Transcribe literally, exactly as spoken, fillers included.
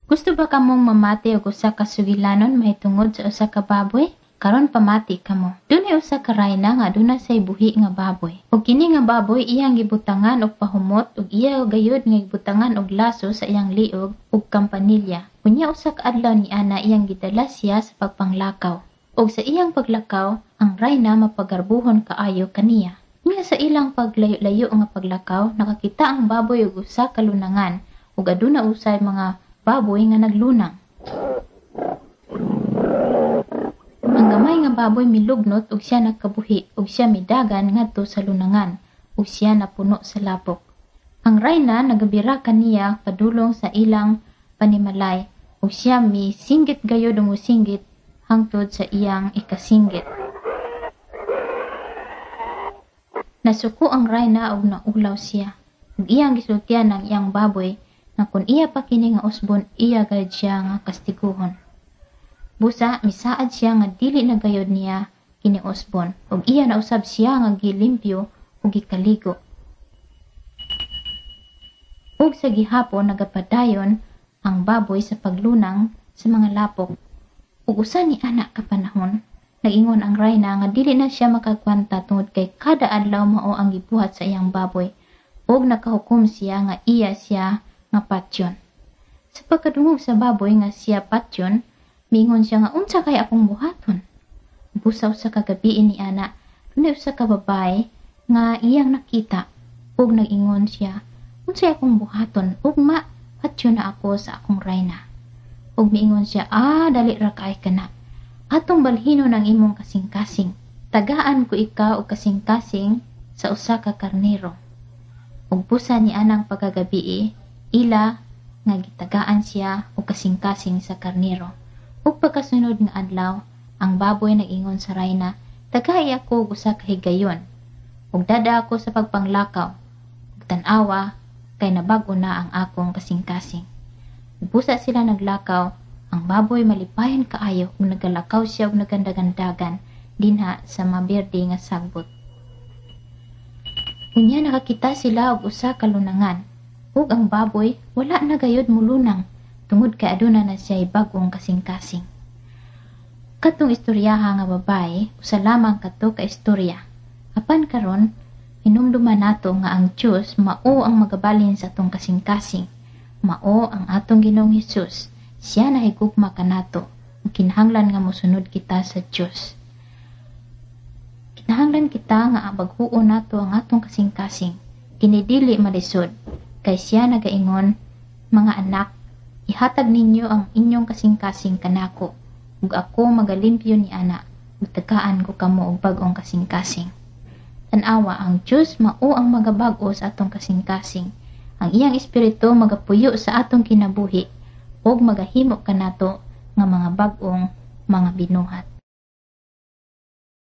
Gusto ba kamong mamati og usa ka sugilanon mahitungod sa usa ka baboy? Karon pamati kamo. Dunay usa ka rayna nga aduna say buhi nga baboy. Ug kini nga baboy iyang gibutangan og pahumot ug iya gayud nga gibutangan og laso sa iyang liog ug kampanilya. Unya usa ka adlaw ni ana iyang gidala siya sa pagpanglakaw. Ug sa iyang paglakaw, ang rayna mapagarbuhon kaayo kaniya. Unya sa ilang paglayo-layo nga paglakaw, nakakita ang baboy og usa ka lunangan ug aduna usay mga baboy nga naglunang. Ang gamay nga baboy milugnot ug siya nakabuhi ug siya midagan ngadto sa lunangan ug siya napuno sa lapok. Ang rayna nagabira kaniya padulong sa ilang panimalay ug siya misinggit gayud ug mosinggit hangtod sa iyang ikasinggit. Nasuko ang rayna ug naulaw siya ug iyang gisultian ang iyang baboy nga kun iya pa kini nga usbon iya gayud siya nga kastiguhon. Busa misaad siya nga dili na gayud niya kini usbon ug iya nausab siya nga gilimpyo ug gikaligo. Ug sa gihapon nagapadayon ang baboy sa paglunang sa mga lapok. Ug usa ni ana ka panahon, nag-ingon ang rayna nga dili na siya makagwanta tungod kay kada adlaw mao ang gibuhat sa iyang baboy ug nakahukom siya nga iya siya nga patyon. Sa pagkadungog sa baboy nga siya patyon, miingon siya nga unsa kay akong buhaton. Busaw sa kagabi ni ana, dunay usa ka babae nga iyang nakita ug nag-ingon siya, unsay akong buhaton ugma patyon na ako sa akong rayna. Ug miingon siya, ah, dali ra kay kana. Atong balhinon ang imong kasing-kasing. Tagaan ko ikaw og kasing-kasing sa usa ka karnero. Ug busa ni anang pagkagabii, ila nga gitagaan siya og kasing-kasing sa karnero. Ug pagkasunod nga adlaw, ang baboy nag-ingon sa rayna, tagai ako og usa ka higayon. Ug dada ako sa pagpanglakaw. Ug tan-awa kay nabag-o na ang akong kasing-kasing. Ug busa sila naglakaw, ang baboy malipayon kaayo ug nagalakaw siya og nagandagandagan dinha sa maberde nga sagbot. Unya nakakita sila og usa ka lunangan. Ug ang baboy wala na gayud mulunang tungod kay aduna na siya'y bag-ong kasing-kasing. Katong istoryaha nga babae, usa lamang kato ka istorya. Apan karon, hinumduman nato nga ang Dios mao ang magabalhin sa atong kasing-kasing. Mao ang atong Ginoong Hesus. Siya nahigugma kanato. Kinahanglan nga mosunod kita sa Dios. Kinahanglan kita nga bag-uon nato ang atong kasing-kasing. Kini dili malisod. Kay siya nagaingon, mga anak, ihatag ninyo ang inyong kasing-kasing kanako, ug ako magalimpyo ni ana, ug tagaan ko kamo og bag-ong kasing-kasing. Tan-awa, ang Dios mao ang magabag-o sa atong kasing-kasing. Ang iyang espiritu magapuyo sa atong kinabuhi, ug magahimo kanato nga mga bag-ong mga binuhat.